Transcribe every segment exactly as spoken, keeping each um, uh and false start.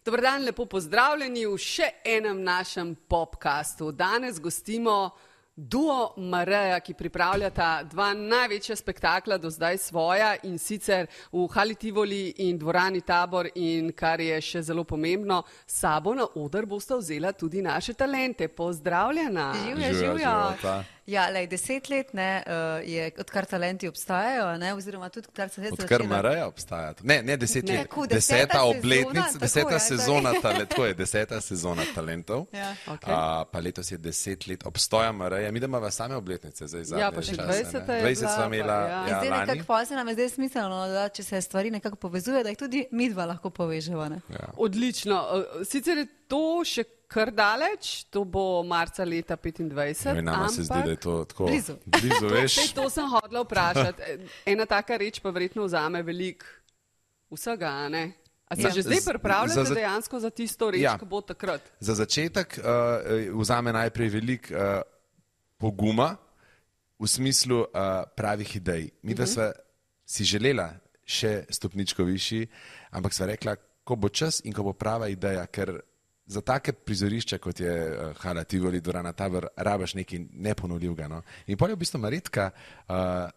Dobar dan, lepo pozdravljeni v še enem našem podcastu. Danes gostimo duo Mareja, ki pripravljata dva največja spektakla do zdaj svoja, in sicer v Hali Tivoli in dvorani Tabor, in kar je še zelo pomembno, sabo na oder bosta vzela tudi naše talente. Pozdravljena. Živja, živja. Ja, lej, deset let ne, uh, je, odkar talenti obstajajo, ne, oziroma tudi odkar se zdaj Odkar Mareja obstaja. Ne, ne deset let. Tako, deseta deseta obletnica, sezona, deseta tako je, sezona talentov. Tako je, deseta sezona talentov. Ja. Okay. Uh, pa letos je deset let obstoja Mareja. Mi da imamo same obletnice zdaj zadnje Ja, pa še čase, dvajseta ne. je dvajset sva bila, imela pa, ja. ja, Zdaj lani. nekako pa se nam je zdaj smiselno, da če se stvari nekako povezuje, da jih tudi mi dva lahko poveževa. Ne? Ja. Odlično. Sicer je to še kar daleč, to bo marca leta petindvajset, Ne, nama se zdi, da je to tako Blizu. blizu veš. Sej, to sem hodila vprašati. Ena taka reč pa verjetno vzame veliko vsega, a ne? A se Ja. že zdaj Z- pripravljate za- za- dejansko za tisto reč, Ja. ki bo takrat? Za začetek uh, vzame najprej veliko uh, poguma v smislu uh, pravih idej. Mi da sva si želela še stopničko višji, ampak sva rekla, ko bo čas in ko bo prava ideja, ker za take prizorišča, kot je uh, Hala Tivoli, dvorana Tabor, rabaš nekaj neponovljivega. No? In pol je v bistvu Marjetka uh,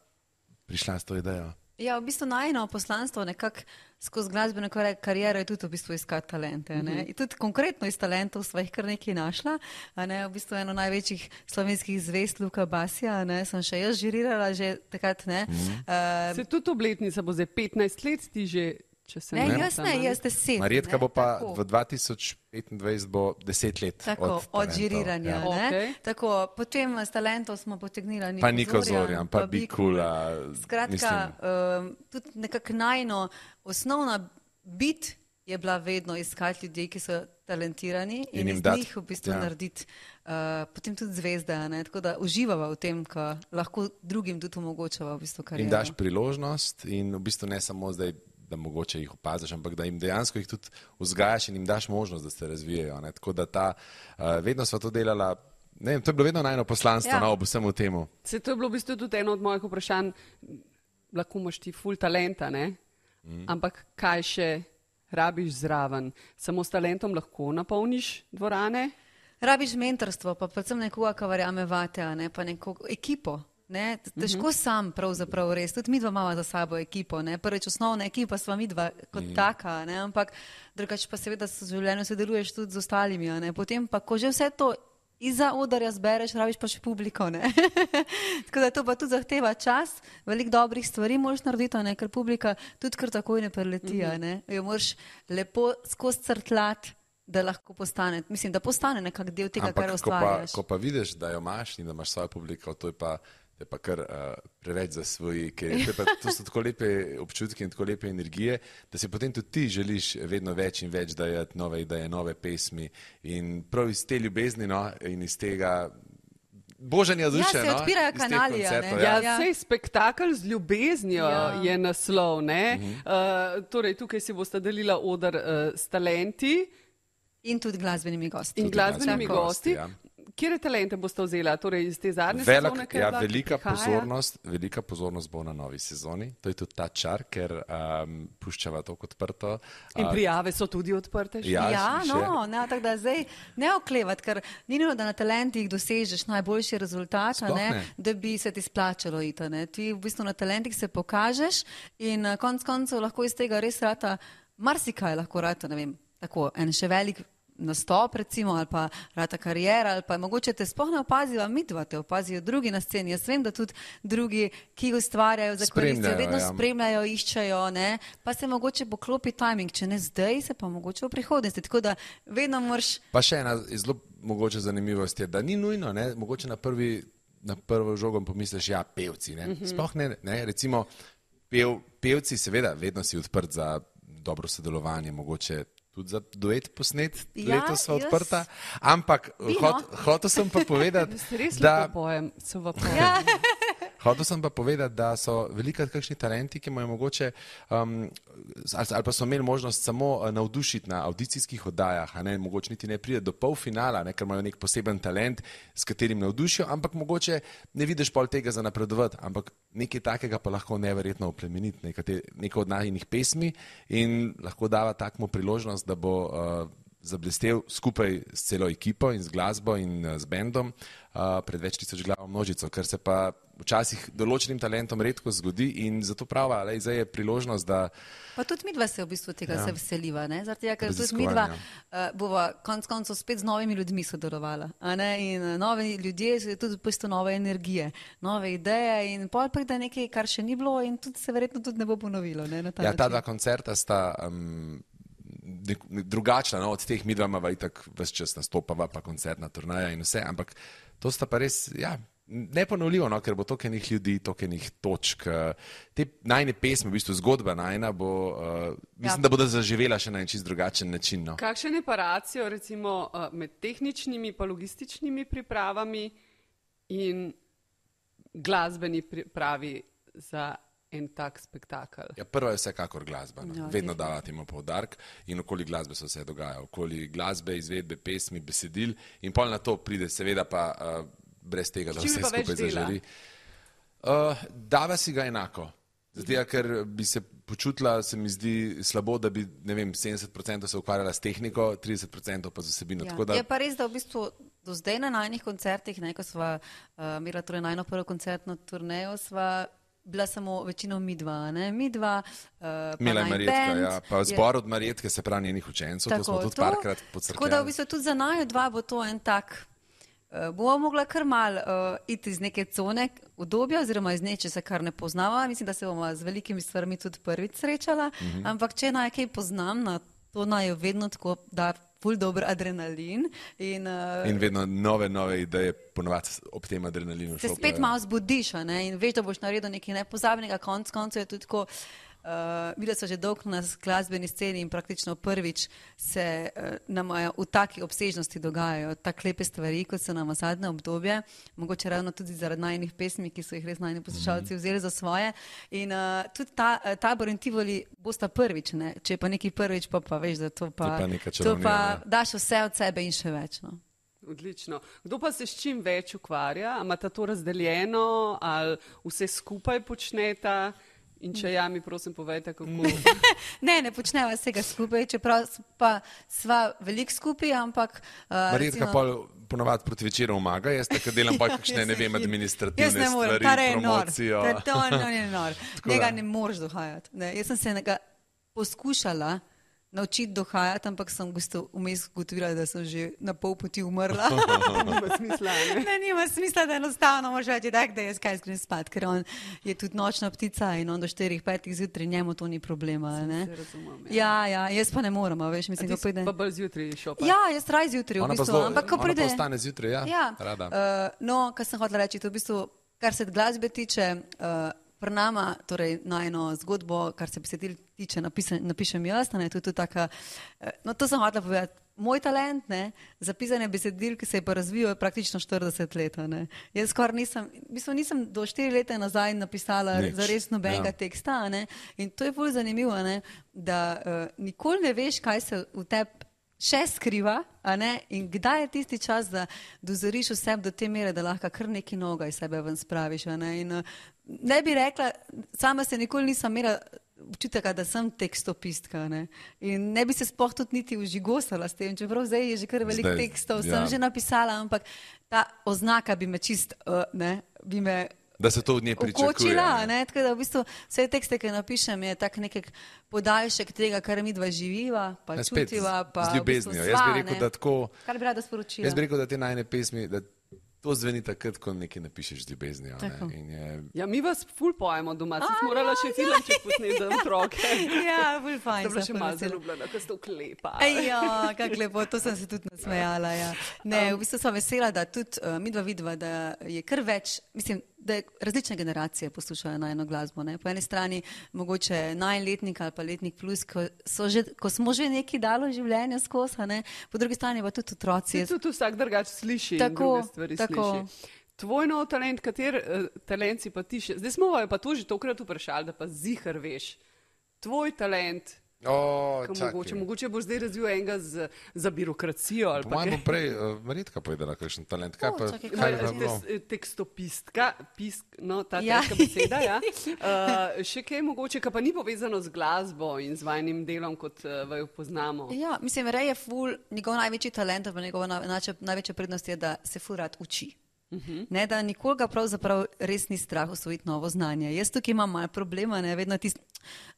prišla s to idejo. Ja, v bistvu najno poslanstvo nekako skozi glasbeno kar- kariero je tudi v bistvu iskati talente. Ne? In tudi konkretno iz talentov sva jih kar nekaj našla. A ne? V bistvu eno največjih slovenskih zvest, Luka Basija, ne? Sem še jaz žirirala že takrat. Ne? Uh, Se tudi obletnica bo zdaj petnajst let, ti že, če se ne, ne jaz ne, jaz deset. Marjetka ne, bo pa tako. v dva tisoč petindvajset bo deset let Tako, od, od talentov, žiriranja. ja. Ja. Okej. Tako, potem s talentov smo potegnila Niko Pa Niko Zorjan, Zorjan, pa Bikula. Skratka, um, tudi nekako najno osnovna bit je bila vedno iskati ljudi, ki so talentirani in, In jim iz dati, njih v bistvu ja. narediti uh, potem tudi zvezde. a Ne? Tako da uživava v tem, ko lahko drugim tudi omogočava v bistvu In kariero. daš priložnost in v bistvu ne samo zdaj, da mogoče jih opaziš, ampak da jim dejansko jih tudi vzgajaš in jim daš možnost, da se razvijajo. Ne? Tako da ta, uh, vedno sva to delala, ne vem, to je bilo vedno najno poslanstvo, Ja. no, ob vsemu temu. Se to je bilo v bistvu tudi eno od mojih vprašanj. Lahko imaš ti ful talenta, ne? Mm. Ampak kaj še rabiš zraven? Samo s talentom lahko napolniš dvorane? Rabiš mentorstvo, pa predvsem nekoga, ki verjame vate, a ne pa neko ekipo. Ne? Težko sam pravzaprav res, tudi mi dva imamo za sabo ekipo, ne? Prvič osnovna ekipa sva mi dva kot mm. taka, ne? Ampak drugače pa seveda v življenju sodeluješ tudi z ostalimi, a ne? Potem pa, ko že vse to izza odarja zbereš, rabiš pa še publiko, ne? Tako da to pa tudi zahteva čas, veliko dobrih stvari moraš narediti, a ne? Ker publika tudi kar takoj ne preleti, a ne? Jo moraš lepo skozi crtljati, da lahko postane, mislim, da postane nekak del tega, kar Ampak ko pa, ustvarjaš. ko pa vidiš, da jo imaš in da imaš svojo publiko, to je pa, to je pa kar uh, preveč za svoji, ker to, je pa, to so tako lepe občutki in tako lepe energije, da si potem tudi ti želiš vedno več in več dajati nove ideje, nove pesmi in prav iz te ljubezni, no, in iz tega božanja duše, se no, odpirajo iz teh kanali, a ne. koncertov, Ja, ja. Ja. sej spektakel z ljubeznijo Ja. je naslov, ne? Mhm. Uh, torej, tukaj si bosta delila oder uh, s talenti In tudi glasbenimi gosti. in Tudi glasbenimi glasbenimi gosti. gosti, ja. Kje talente boste vzela? Torej, iz te zadnje Velik, sezone, ki je ja, bila, ki velika, prihaja? pozornost, velika pozornost bo na novi sezoni. To je tudi ta čar, ker um, puščava to kot odprto. In Uh, prijave so tudi odprte? še? Ja, Ja, še- no, ne, tako da zdaj ne oklevat, ker ni nujno, da na talentih dosežeš najboljši rezultat, a Sploh ne, ne. da bi se ti splačalo iti. a Ne. Ti v bistvu na talentih se pokažeš in uh, konc koncev lahko iz tega res rata, marsikaj lahko rata, ne vem, tako en še velik nastop recimo, ali pa rata karijera, ali pa mogoče te sploh ne opazijo, mi dva te opazijo drugi na sceni. Jaz vem, da tudi drugi, ki ustvarjajo za koristijo, Spremljajo, vedno ja. spremljajo, iščejo, ne, pa se mogoče poklopi timing, če ne zdaj, se pa mogoče v prihodnosti. Tako da vedno moraš. Pa še ena zelo mogoče zanimivost je, da ni nujno, ne, mogoče na, prvi, na prvo žogo pomisliš, ja, pevci. Ne. Sploh ne, ne, recimo pev, pevci, seveda, vedno si odprt za dobro sodelovanje, mogoče tudi za duet posnet, Ja, letos sva jaz- odprta, ampak Vi, no. hot, hotel sem pa povedati, Res da lepo pojem, se v pojem. Ja. Hotel sem pa povedati, da so velikrat kakšni talenti, ki imajo mogoče, um, ali, ali pa so imeli možnost samo navdušiti na audicijskih oddajah, a ne, mogoče niti ne pride do polfinala, ne, ker imajo nek poseben talent, s katerim navdušijo, ampak mogoče ne vidiš pol tega za napredovati, ampak nekaj takega pa lahko neverjetno oplemeniti, nekaj, nekaj od najinih pesmi in lahko dava takmu priložnost, da bo uh, zablestel skupaj s celo ekipo in z glasbo in uh, z bendom uh, pred več tisoč glavo množico, kar se pa včasih določenim talentom redko zgodi in zato prava, ale zdaj je priložnost, da... Pa tudi midva se v bistvu tega ja. se veseliva, ne? Zaradi tega, ker tudi midva uh, bova konc koncev spet z novimi ljudmi sodelovala, a ne? In uh, novi ljudje so tudi v bistvu nove energije, nove ideje in pol pride nekaj, kar še ni bilo in tudi se verjetno tudi ne bo ponovilo, ne? Na ta ja, način. Ta dva koncerta sta... Um, drugačna, no, od teh midva imava itak ves čas nastopava, pa koncertna turnaja in vse, ampak to sta pa res, ja, neponovljivo, no, ker bo toliko enih ljudi, toliko enih točk. Te najne pesme, v bistvu zgodba najna bo, uh, mislim, ja. da bodo zaživela še na en čist drugačen način. No. Kakšen je pa racio, recimo, uh, med tehničnimi pa logističnimi pripravami in glasbeni pripravi za en tak spektakel? Ja, prva je vsekakor glasba. No. Ja, vedno dava temu poudarek in okoli glasbe se vse dogaja. Okoli glasbe, izvedbe, pesmi, besedil in pol na to pride seveda pa uh, brez tega, da vse skupaj zaželi. Uh, dava si ga enako. Zato, ker bi se počutila, se mi zdi slabo, da bi, ne vem, sedemdeset procentov se ukvarjala s tehniko, trideset procentov pa z vsebino. Ja. Tako da... Je pa res, da v bistvu do zdaj na najnih koncertih, ne, ko sva uh, imela torej najno prvo koncertno turnejo, sva bila samo večino midva, ne, midva, uh, pa Mila naj Marjetka, band. Ja, pa zbor od Marjetke, se pravi njenih učencev, to smo tudi to, parkrat podcrkljali. Tako da v bistvu tudi za naju dva bo to en tak, uh, bomo mogla kar mal uh, iti iz neke cone udobja oziroma iz neče se kar ne poznava, mislim, da se bomo z velikimi stvarmi tudi prvič srečala, mm-hmm. ampak če naj kaj poznam, na to naj jo vedno tako da ful dober adrenalin. In, uh, in vedno nove, nove ideje ponovati ob tem adrenalinu. Se spet malo zbudiš, ne? In veš, da boš naredil nekaj nepozabnega, konc koncev je tudi tako, uh, videla so že dolgo na glasbeni sceni in praktično prvič se uh, nam v taki obsežnosti dogajajo tako lepe stvari, kot so nam v zadnje obdobje, mogoče ravno tudi zaradi najinih pesmi, ki so jih res najni poslušalci vzeli za svoje. In uh, tudi ta, uh, Tabor in Tivoli bosta prvič, ne? Če je pa nekaj prvič, pa, pa veš, da to pa, pa, to pa daš vse od sebe in še več. No? Odlično. Kdo pa se s čim več ukvarja? A imata to razdeljeno ali vse skupaj počneta? In če ja, mi prosim povejte, kako... ne, ne počneva vsega skupaj, čeprav pa sva veliko skupaj, ampak... Uh, Marjetka recimo... pa ponovadi proti večeru omaga, jaz tako delam pa kakšne, ne vem, administrativne stvari, promocijo. Jaz ne morem, to je nor. Njega ne moreš dohajati. Ne, jaz sem se nekaj poskušala naučiti dohajati, ampak sem vmes ugotovila, da sem že na pol poti umrla. Nima smisla, ne? Ne, nima smisla, da enostavno moraš reči, da je jaz kaj skrim spat, ker on je tudi nočna ptica in on do štirih, petih zjutraj, njemu to ni problema. Ne? Se razumem, ja. Ja, ja, jaz pa ne moram, veš, mislim, da pride... Pa bolj zjutraj šopa? Ja, jaz traj zjutraj, v bistvu. Zlo, ampak ko pride... Ona pa ostane zjutraj, ja, ja. Rada. Uh, no, kar sem hotela reči, to v bistvu, kar se glasbe tiče, uh, pri nama, torej najno zgodbo, kar se besedil tiče, napišem, napišem jaz, ne, to je tudi taka, no to sem hotela povedati, moj talent, ne, za pisanje besedil, ki se je pa razvijal, je praktično štirideset let, ne. Jaz skoraj nisem, v bistvu nisem do štiri leta nazaj napisala Nič. Zares nobenega ja. teksta, ne, in to je bolj zanimivo, ne, da uh, nikoli ne veš, kaj se v tebi še skriva, a ne, in kdaj je tisti čas, da dozoriš v sebi do te mere, da lahko kar neki noga iz sebe ven spraviš, a ne, in uh, ne bi rekla, sama se nikoli nisem imela občutaka, da sem tekstopistka, ne, in ne bi se sploh tudi niti užigosala s tem, čeprav zdaj je že kar veliko tekstov, ja. sem že napisala, ampak ta oznaka bi me čist, uh, ne, bi me da se to od nje pričakuje. Ukočila, ne, tako da v bistvu vse tekste, ki napišem, je tak nekak podaljšek tega, kar mi dva živiva, pa ja, čutiva, pa z ljubeznijo. V bistvu jaz sva, bi rekel, ne, da tako... Kar bi rada sporočila. Jaz bi rekel, da te najne pesmi, da to zveni takrat, ko nekaj napišeš z ljubeznijo. In je... Ja, mi vas ful pojemo doma, sem morala še filmček posneti za otroke. Ja, ful fajn. To bila še malo zaljubljena, ko ste vklepa. Ja, kak lepo, to sem se tudi nasmejala, ja. Ne, v bistvu sem vesela, da tudi uh, midva vidva, da je kar več, mislim, da različne generacije poslušajo najno glasbo. Ne? Po eni strani mogoče najletnik ali pa letnik plus, ko, že, ko smo že neki dalo življenja skozi, ne? Po drugi strani pa tudi otroci. Se tudi vsak drugač sliši tako, in druge stvari tako. sliši. tvoj nov talent, kater uh, talent si pa ti še? Zdaj smo jo pa tu že tokrat vprašali, da pa zihar veš. Tvoj talent, O, mogoče, mogoče boš zdaj razvil enega z, za birokracijo. Ali po mojem bo prej uh, Marjetka povedala, kakšen talent. Kaj O, pa, čakaj, kaj kaj pa bilo? Te, tekstopistka, pisk, no, ta Ja. težka beseda, ja. Uh, še kaj mogoče, kar pa ni povezano z glasbo in z vajnim delom, kot uh, vaju poznamo. Ja, mislim, Ray je ful, njegov največji talent, pa njegova največja, največja prednost je, da se ful rad uči. Uh-huh. Ne, da nikoga pravzaprav res ni strah osvojiti novo znanje. Jaz tukaj imam malo problema, ne, vedno tisti,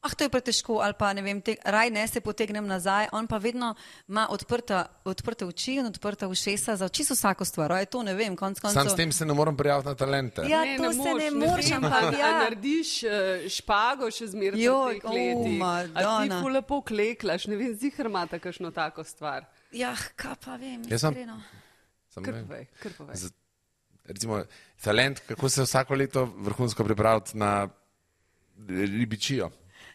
ah, to je pretežko, ali pa ne vem, te, raj ne se potegnem nazaj, on pa vedno ima odprta, odprte oči in odprta ušesa za čisto vsako stvar, aj to ne vem, konc koncev. Sam s tem se ne moram prijaviti na talente. Ja, to se ne moreš, ampak ja. A narediš uh, špago še zmeraj v Joj, teh letih. o, A ti Madonna. ful lepo kleklaš, ne vem, zihar imata kakšno tako stvar. Ja, kaj pa vem, Jaz sem- iskreno. Sam Kar ne vem. povej, kar povej. Z- Recimo, talent, kako se vsako leto vrhunsko pripraviti na ribičijo.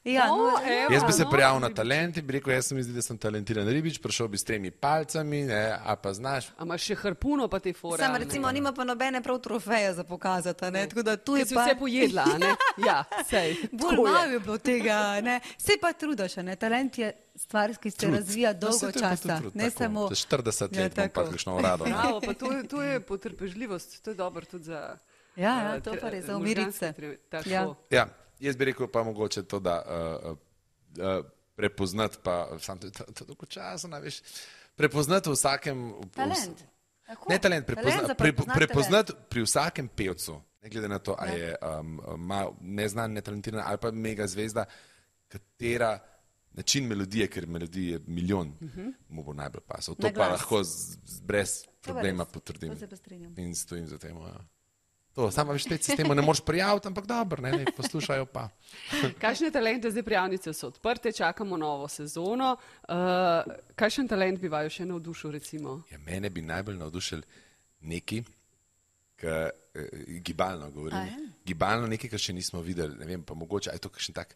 Ja, O, no, evo. Jaz bi se no, prijavil na ribič. talent in bi rekel, jaz se mi zdi, da sem talentiran ribič, prišel bi s tremi palcami, ne, a pa znaš. A imaš še harpuno pa te fore? sam a ne? recimo nima pa nobene prav trofeje za pokazati, ne, tako da tu Ki je si pa... vse pojedla, a ne? Ja, sej. Bolj tako je. malo je bilo tega, ne. Sej pa trudaš, ne. Talent je stvar, ki se Trud. razvija No, dolgo saj to je pa tudi časa. trud, Ne tako. samo... Za štirideset Ja, let bom pa tako. kakšno urado. ne. Bravo, pa to, je- to je potrpežljivost, to je dobro tudi za... Ja, ja, eh, to tre- pa res, za možganske umiriti se. tre- Tako. Ja. Ja, jaz bi rekel pa mogoče to, da uh, uh, prepoznati pa, sam to je to- to dolgo časa, ne veš, prepoznati v vsakem... v- Talent. Tako. Ne talent, Talent prepozna, za pre, prepoznati prepoznati pri vsakem pevcu, ne glede na to, a Ja. je um, ma, neznan, netalentiran ali pa mega zvezda, katera način melodije, ker melodij je milijon, uh -huh. mu bo najbolj pasal. To Na pa glas. lahko z, z, brez To pa problema res. potrdim. To se pa strinjam. In stojim za tem. Ja. To, samo več te sistema ne moreš prijaviti, ampak dobro, ne, ne, poslušajo pa. Kakšne talente, zdaj prijavnice so odprte, čakamo novo sezono. Uh, kakšen talent bi vaju še navdušil, recimo? Ja, mene bi najbolj navdušil neki, ki eh, gibalno govorim. A ja? Gibalno nekaj, kar še nismo videli. Ne vem, pa mogoče, a je to kakšen tak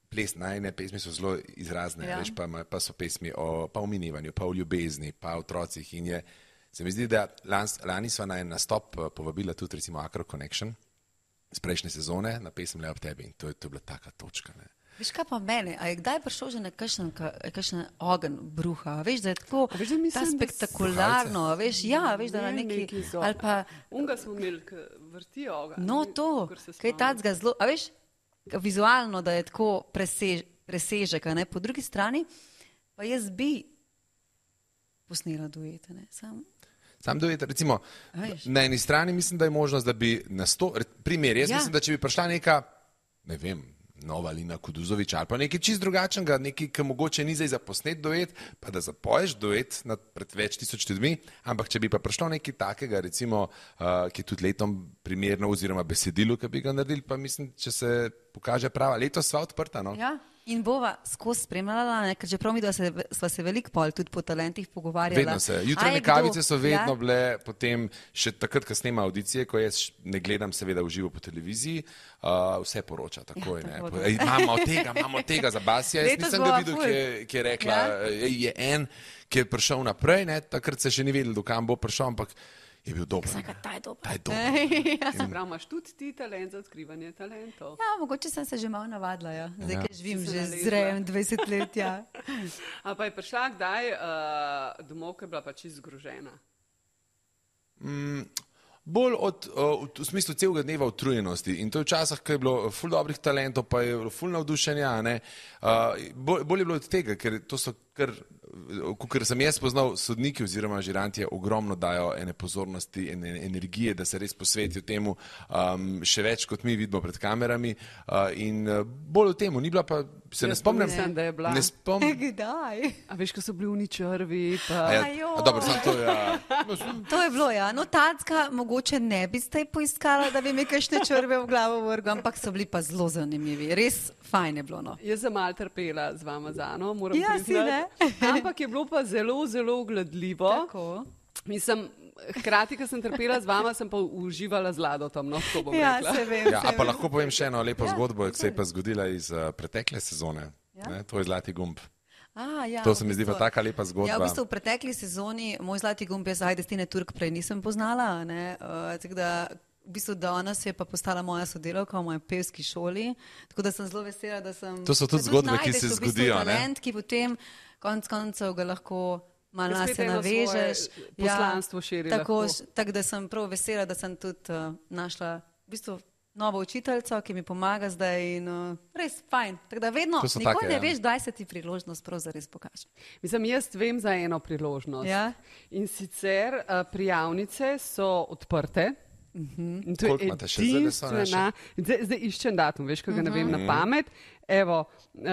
ples, najne pesmi so zelo izrazne, Ja. veš, pa, ima- pa so pesmi o, pa o minevanju, pa o ljubezni, pa o otrocih. In je, se mi zdi, da lans, lani sva na en nastop eh, povabila tudi recimo Acro Connection z prejšnje sezone na pesem Le ob tebi in to je, to je bila taka točka. Ne. Veš kaj pa mene, a je kdaj prišel že na kakšen, ka- kakšen ogen bruha, veš, da je tako A veš, da mislim, ta da s- spektakularno, veš, ja, veš, da na Ne, neki, neki so. ali pa, Unga smo imeli, ki vrtijo ga. no ne, to, kakor se kaj spomnim. tacga zelo, a veš, vizualno, da je tako presež, presežek, a ne, po drugi strani, pa jaz bi posnela duete, ne, sam, Sam dojet, recimo, A veš. na eni strani mislim, da je možnost, da bi na sto, re- primer, jaz Ja. ja. mislim, da če bi prišla neka, ne vem, nova Lina Kuduzovič ali pa nekaj čist drugačnega, nekaj, ki mogoče ni zdaj za posnet duet, pa da zapoješ duet nad pred več tisoč ljudmi, ampak če bi pa prišlo nekaj takega, recimo, uh, ki je tudi letom primerno oziroma besedilo, ki bi ga naredili, pa mislim, če se pokaže prava, letos sva odprta, no. ja. In bova skozi spremljala, ne, ker čeprav mi dva se, sva se veliko pol tudi po talentih pogovarjala. Vedno se. A je Jutranje kdo- kavice so vedno ja? bile, potem še takrat, ko snema audicije, ko jaz š- ne gledam seveda v živo po televiziji, uh, vse poroča takoj. Ja, Ne. tako Po- da. Ej, Imamo tega, imamo tega za Basija. Jaz Letos nisem ga bova videl, ful. ki je, ki je rekla, Ja? ja? je en, ki je prišel naprej, ne. Takrat se še ni vedel, dokam bo prišel, ampak je bil dober. Saka, ne. ta je dober. Ta je dober. Se pravi, imaš tudi ti talent za odkrivanje talentov. Ja, mogoče sem se že malo navadila, ja. Zdaj, Ja. ja. ker živim Si se že nalezla. z rejem dvajset let, ja. A pa je prišla kdaj uh, domov, ki je bila pa čisto zgrožena? Bolj od, uh, v smislu celega dneva utrujenosti. In to je včasih, ko je bilo ful dobrih talentov, pa je bilo ful navdušenja. ne. Uh, bolj, bolj je bilo od tega, ker to so kar, ker sem jaz poznal, sodniki oziroma žirantje ogromno dajo ene pozornosti in ene energije, da se res posvetijo temu, um, še več kot mi vidimo pred kamerami. Uh, in uh, bolj o temu, ni bila pa, se ne Jaz pa spomnim. mislim, da je bila. Ne spomnim. Kdaj? A veš, ko so bili uničrvi, pa... A ja, Ajoj. a dobro, samo to, ja. To je bilo, ja. No, tacka mogoče ne bi zdaj poiskala, da bi mi kakšne črve v glavo vrgla, ampak so bili pa zelo zanimivi. Res fajn je bilo, no. Jaz sem malo trpela z vama z Ano, moram Ja, si priznati. Ampak je bilo pa zelo, zelo ugledljivo. Tako. Mislim, hkrati, ko sem trpela z vama, sem pa uživala z Ladotom, no, tako bom Ja, rekla. se vem. Ja, se a pa vem. lahko povem še eno lepo Ja, zgodbo, ki se je povej. pa zgodila iz uh, pretekle sezone. Ja. Ne, to je Zlati gumb. A, ja, To se mi v zdi pa bistvu- taka lepa zgodba. Ja, v bistvu v pretekli sezoni moj zlati gumb je zdaj Destine Turk prej nisem poznala, ne, uh, tako da v bistvu danes je pa postala moja sodelavka v moji pevski šoli, tako da sem zelo vesela, da sem... To so tudi da zgodbe, ki najdeš se v bistvu zgodijo, ne? talent, ki potem konc koncev ga lahko malo Spet nase eno navežeš. svoje poslanstvo širi tako, lahko. š- tako da sem prav vesela, da sem tudi uh, našla v bistvu novo učiteljico, ki mi pomaga zdaj in uh, res fajn. Tako da vedno, To so nikoli take, ne ja. veš, kdaj se ti priložnost prav zares pokaže. Mislim, jaz vem za eno priložnost. Ja? In sicer uh, prijavnice so odprte. In to je Koliko imate še zdaj, da so edinstvena- Zdaj, zdaj iščem datum, veš, ko ga ne vem na pamet. Evo, uh,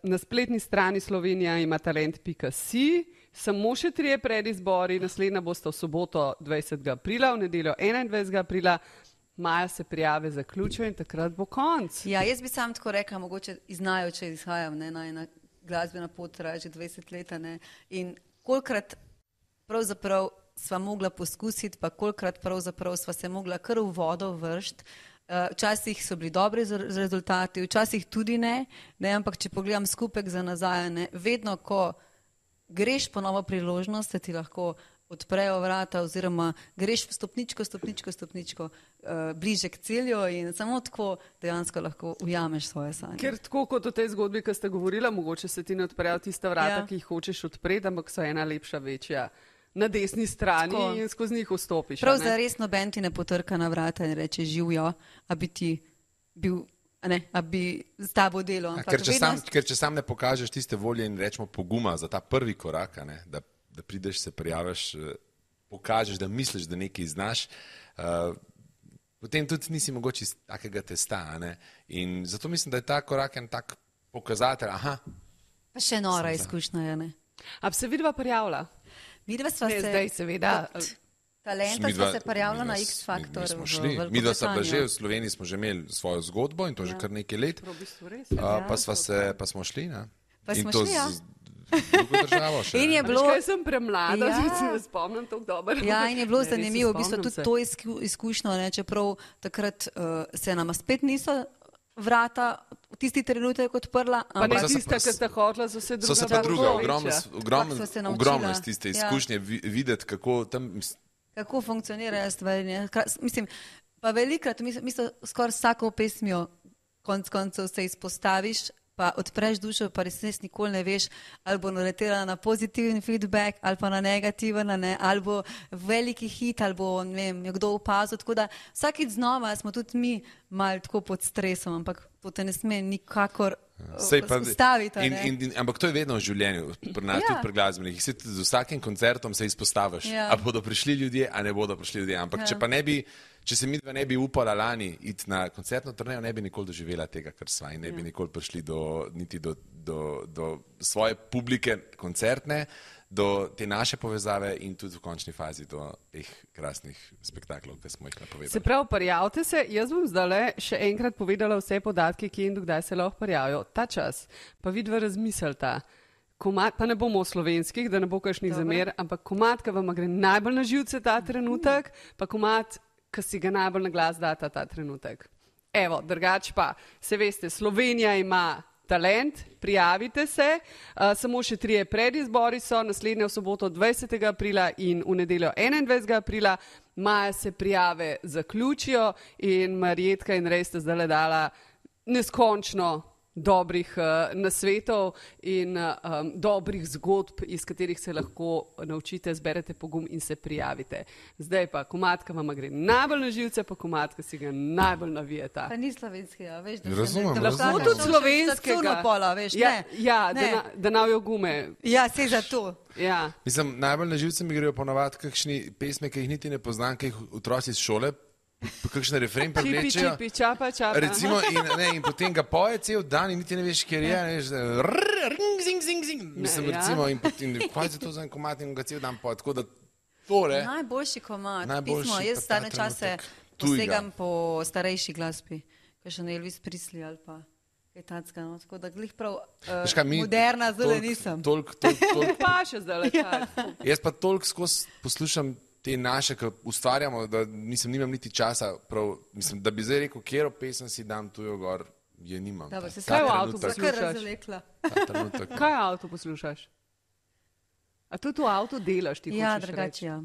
na spletni strani Slovenija ima talent pika si, samo še trije predizbori, naslednja bosta v soboto dvajsetega aprila, v nedeljo enaindvajsetega aprila, maja se prijave zaključijo in takrat bo konc. Ja, jaz bi sam tako rekla, mogoče iz najo, če izhajam, ne, najna glasbena pot traja že dvajset let, ne, in kolikrat pravzaprav sva mogla poskusiti, pa kolikrat pravzaprav sva se mogla kar v vodo vršt. Uh, včasih so bili dobri z- z rezultati, včasih tudi ne, ne, ampak če pogledam skupek za nazaj, ne, vedno, ko greš po novo priložnost, se ti lahko odprejo vrata oziroma greš stopničko, stopničko, stopničko uh, bliže k cilju in samo tako dejansko lahko ujameš svoje sanje. Ker tako kot v tej zgodbi, ki ste govorila, mogoče se ti ne odprejo tista vrata, Ja. ki jih hočeš odpreti, ampak so ena lepša, večja na desni strani Tako. in skozi njih vstopiš. a Prav ne? za res noben ti ne potrka na vrata in reče živijo, a bi ti bil, a ne, a bi s tabo delo. Ja, ampak ker, če vedno sam, ker če sam ne pokažeš tiste volje in rečemo poguma za ta prvi korak, a ne, da, da prideš, se prijaviš, eh, pokažeš, da misliš, da nekaj znaš, uh, potem tudi nisi mogoče iz takega testa. a Ne? In zato mislim, da je ta korak en tak pokazatelj. Aha, Pa še nora izkušnja je, ne. A bi se vidva prijavila? Midva sva Ne, se... zdaj seveda. kot Talenta Midva- sva se prijavila midva na s- X Factor mi smo v šli. Veliko Midva sva bila že Britanijo. v Sloveniji, smo že imeli svojo zgodbo in to že kar nekaj let. V bistvu res. Uh, pa, sva se, pa smo šli. Ne? Pa In smo to šli, ja. z drugo državo še. In je ne. Bilo... bilo... Kaj sem premlada, Ja. ja. se ne spomnim tako dobro. Ja, in je bilo Ne, res se zanimivo, v bistvu spomnim tudi se. to izku, izkušnjo, ne, čeprav takrat uh, se nama spet niso vrata v tisti trenutek odprla, Pa ne so se tista, pa- ki sta hodila, so se druga. So se pa bolj druga, večja. ogromno, ogromno, Kako sva se naučila. ogromno iz tiste Ja. izkušnje vi, videti, kako tam. kako funkcionirajo stvari. ne. Kra- Mislim, pa velikrat, mislim, mislim skoraj vsako pesmijo konc koncev se izpostaviš, pa odpreš dušo, pa res res nikoli ne veš, ali bo naletela na pozitiven feedback, ali pa na negativen, a ne, ali bo veliki hit, ali bo ne vem, jo kdo opazil. Tako da vsakič znova smo tudi mi malo tako pod stresom, ampak to te ne sme nikakor Sej pa- ustaviti. a in, ne. in, in, ampak to je vedno v življenju, pri nas, Ja. tudi pri glasbenih. Se tudi z vsakim koncertom se izpostaviš, Ja. a bodo prišli ljudje, a ne bodo prišli ljudje. Ampak Ja. če pa ne bi, če se mi dva ne bi upala lani iti na koncertno turnejo, ne bi nikoli doživela tega, kar sva in ne bi nikoli prišli do, niti do, do, do svoje publike koncertne, do te naše povezave in tudi v končni fazi do teh krasnih spektaklov, ki smo jih Se napovedali. pravi, prijavite se. Jaz bom zdaj še enkrat povedala vse podatke, kje in dokdaj se lahko prijavijo. Ta čas, pa vidva razmislita. Komad, pa ne bomo o slovenskih, da ne bo kakšnih Dobro. zamer, ampak komat, ki vam gre najbolj na živce ta trenutek, pa komat, ki si ga najbolj na glas data ta trenutek. Evo, drugač pa, se veste, Slovenija ima talent, prijavite se, uh, samo še trije predizbori so, naslednja v soboto dvajsetega aprila in v nedeljo enaindvajsetega aprila, maja se prijave zaključijo in Marjetka in Rej sta zdaj dala neskončno dobrih uh, nasvetov in uh, um, dobrih zgodb, iz katerih se lahko naučite, zberete pogum in se prijavite. Zdaj pa komatka vam gre najbolj na živce, pa komatka si ga najbolj navijeta. Pa ni slovenskega, veš, da Razumem, se ne, da razumem. lahko Tudi slovenskega. Pola, veš, Ja, ne. ja Ne. da, na, da navijo gume. Ja, se za to. Ja. Mislim, najbolj na živce mi grejo ponovadi kakšni pesmi, ki jih niti ne poznam, ki jih otroci iz šole, kakšne refren Čipi, prevlečejo. čipi, čapa, čapa. Recimo, in, ne, in potem ga poje cel dan in niti ne veš, kjer je. Ne, veš, da, rrr, ring, zing, zing, zing. Mislim, Ne, ja. recimo, in potem, kaj se to za en komat in ga cel dan poje. Tako da tole. Najboljši komad, Najboljši pismo. pa Jaz ta stane čase trenutek. Tujega. posegam po starejši glasbi, kot še ne Elvis Presley ali pa kaj tacka. No. Tako da glih prav uh, Veš kaj, mi moderna zelo toliko- nisem. toliko- toliko- toliko- Pa še zdaj le čas. Jaz pa toliko skozi poslušam te naše, ki ustvarjamo, da nisem, nimam niti časa, prav, mislim, da bi zdaj rekel, kjero pesem si dam tujo gor, Je nimam. Dobro, Ta- se ta kaj v trenutek- avtu Kar poslušaš? razvlekla. ta trenutek. Kaj v avtu poslušaš? A tudi v avtu delaš ti? Ja, hočeš drugače, reči? ja.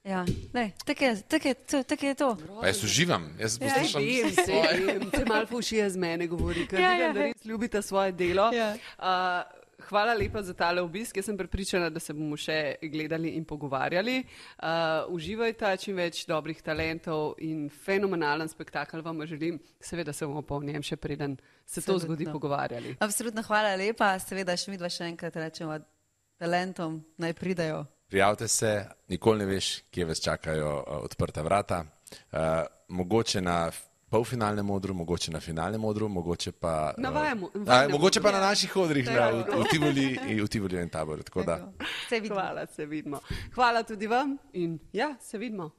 Ja, lej, tako je, tako je, to- tako je to. Pa jaz uživam, jaz Ja, poslušam Vem, se vem, se malo fušije z mene govori, ker Ja, vidim, ja. da res ljubite svoje delo. Ja. Uh, Hvala lepa za tale obisk. Jaz sem prepričana, da se bomo še gledali in pogovarjali. Uh, uživajte čim več dobrih talentov in fenomenalen spektakel vam želim. Seveda se bomo pa o njem še preden se to Absolutno. zgodi pogovarjali. Absolutno hvala lepa, seveda še midva še enkrat rečemo talentom, naj pridajo. Prijavite se, nikoli ne veš, kje vas čakajo uh, odprta vrata. Uh, mogoče na polfinalnem odru, mogoče na finalnem odru, mogoče pa, Na vajemu- uh, vajnem mogoče pa odru. na naših odrih na, v, v Tivoli in v Tivoli in taboru. Tako da. Tako. Se vidimo. Hvala, se vidimo. Hvala tudi vam in ja, se vidimo.